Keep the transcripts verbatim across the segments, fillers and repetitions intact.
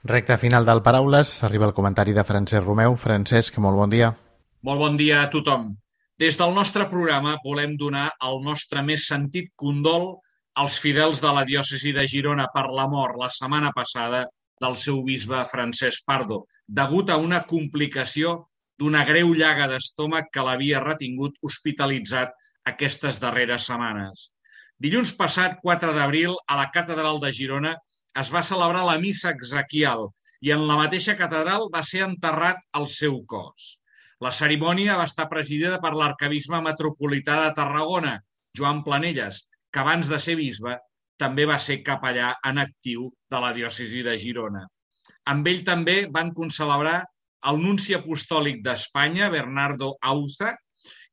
Recte final del Paraules, arriba el comentari de Francesc Romeu. Francesc, molt bon dia. Molt bon dia a tothom. Des del nostre programa volem donar el nostre més sentit condol als fidels de la diòcesi de Girona per la mort la setmana passada del seu bisbe Francesc Pardo, degut a una complicació d'una greu llaga d'estómac que l'havia retingut hospitalitzat aquestes darreres setmanes. Dilluns passat, quatre d'abril, a la catedral de Girona es va celebrar la missa exequial i en la mateixa catedral va ser enterrat el seu cos. La cerimònia va estar presidida per l'arquebisbe metropolità de Tarragona, Joan Planelles, que abans de ser bisbe també va ser capellà en actiu de la diòcesi de Girona. Amb ell també van concelebrar el nunci apostòlic d'Espanya, Bernardo Auza,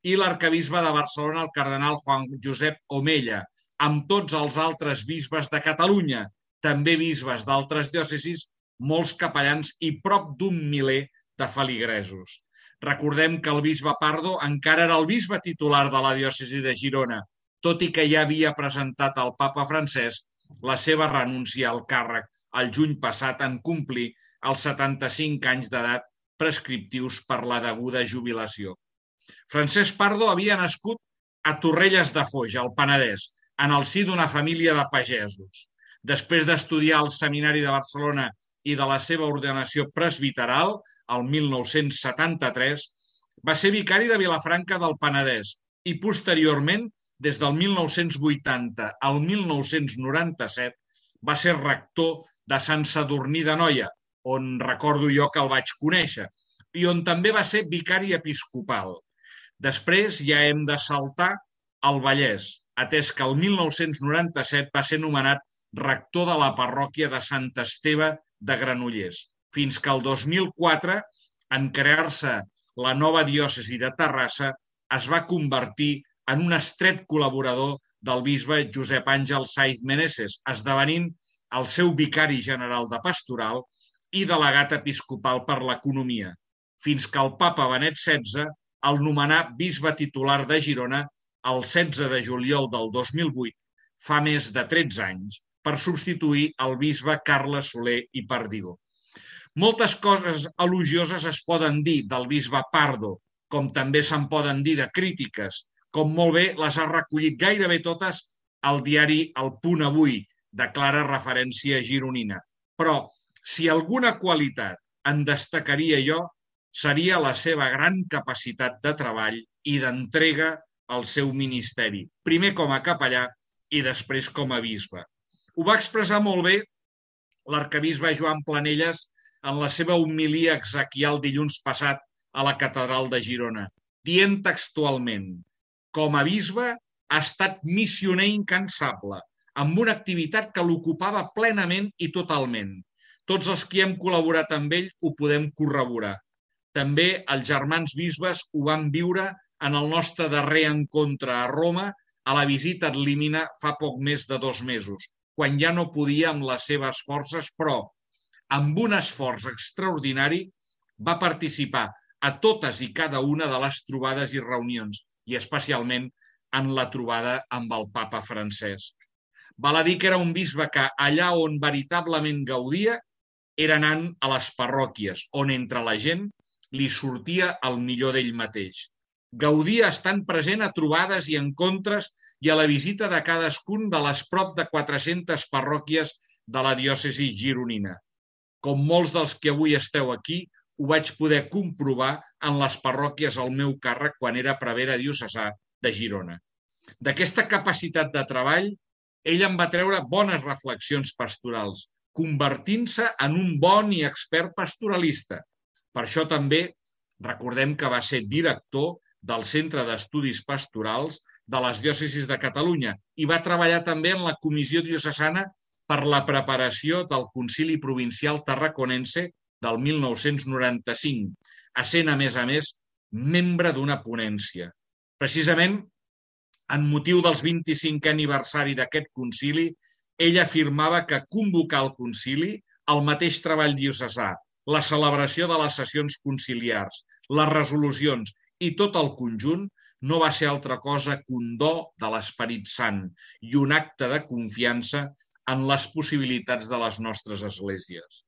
i l'arquebisbe de Barcelona, el cardenal Juan Josep Omella, amb tots els altres bisbes de Catalunya, també bisbes d'altres diòcesis, molts capellans i prop d'un miler de feligresos. Recordem que el bisbe Pardo encara era el bisbe titular de la diòcesi de Girona, tot i que ja havia presentat al papa Francesc la seva renúncia al càrrec el juny passat en complir els setanta-cinc anys d'edat prescriptius per la deguda jubilació. Francesc Pardo havia nascut a Torrelles de Foix, al Penedès, en el si d'una família de pagesos. Després d'estudiar al Seminari de Barcelona i de la seva ordenació presbiteral, el mil nou-cents setanta-tres, va ser vicari de Vilafranca del Penedès i posteriorment, des del mil nou-cents vuitanta al mil nou-cents noranta-set, va ser rector de Sant Sadurní d'Anoia, on recordo jo que el vaig conèixer, i on també va ser vicari episcopal. Després ja hem de saltar al Vallès, atès que el mil nou-cents noranta-set va ser nomenat rector de la parròquia de Sant Esteve de Granollers, fins que el dos mil quatre, en crear-se la nova diòcesi de Terrassa, es va convertir en un estret col·laborador del bisbe Josep Àngel Saiz Meneses, esdevenint el seu vicari general de pastoral i delegat episcopal per l'economia, fins que el papa Benet setze el nomenà bisbe titular de Girona el setze de juliol del dos mil vuit, fa més de tretze anys, per substituir el bisbe Carles Soler i Pardil. Moltes coses elogioses es poden dir del bisbe Pardo, com també se'n poden dir de crítiques, com molt bé les ha recollit gairebé totes al diari El Punt Avui, de clara referència gironina. Però, si alguna qualitat en destacaria jo, seria la seva gran capacitat de treball i d'entrega al seu ministeri, primer com a capellà i després com a bisbe. Ho va expressar molt bé l'arquebisbe Joan Planelles en la seva homilia exequial dilluns passat a la catedral de Girona, dient textualment: com a bisbe ha estat missioner incansable, amb una activitat que l'ocupava plenament i totalment. Tots els que hem col·laborat amb ell ho podem corroborar. També els germans bisbes ho van viure en el nostre darrer encontre a Roma, a la visita ad limina fa poc més de dos mesos, quan ja no podia amb les seves forces, però, amb un esforç extraordinari, va participar a totes i cada una de les trobades i reunions, i especialment en la trobada amb el papa Francesc. Val a dir que era un bisbe que allà on veritablement gaudia era anant a les parròquies, on entre la gent li sortia el millor d'ell mateix. Gaudia estant present a trobades i encontres i a la visita de cadascun de les prop de quatre-centes parròquies de la diòcesi gironina. Com molts dels que avui esteu aquí, ho vaig poder comprovar en les parròquies al meu càrrec quan era prevere diocesà de Girona. D'aquesta capacitat de treball, ell en va treure bones reflexions pastorals, convertint-se en un bon i expert pastoralista. Per això també recordem que va ser director del Centre d'Estudis Pastorals de les diòcesis de Catalunya i va treballar també en la Comissió Diocesana per la preparació del Concili Provincial Tarraconense del mil nou-cents noranta-cinc, essent, a més a més, membre d'una ponència. Precisament, en motiu del vint-i-cinquè aniversari d'aquest concili, ell afirmava que convocar el concili, el mateix treball diocesà, la celebració de les sessions conciliars, les resolucions i tot el conjunt no va ser altra cosa que un do de l'Esperit Sant i un acte de confiança en les possibilitats de les nostres esglésies.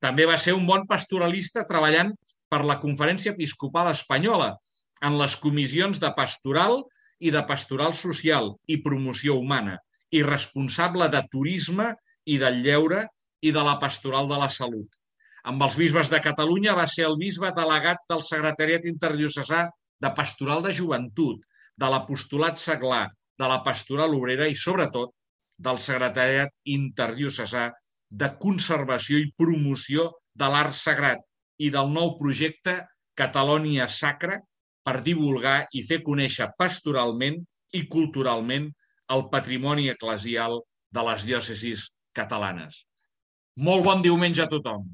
També va ser un bon pastoralista treballant per la Conferència Episcopal Espanyola en les comissions de pastoral i de pastoral social i promoció humana, i responsable de turisme i del lleure i de la pastoral de la salut. Amb els bisbes de Catalunya va ser el bisbe delegat del Secretariat Interdiocesà de Pastoral de Joventut, de l'Apostolat Seglar, de la Pastoral Obrera i, sobretot, del Secretariat Interdiocesà de Conservació i Promoció de l'Art Sagrat i del nou projecte Catalònia Sacra per divulgar i fer conèixer pastoralment i culturalment el patrimoni eclesial de les diòcesis catalanes. Molt bon diumenge a tothom!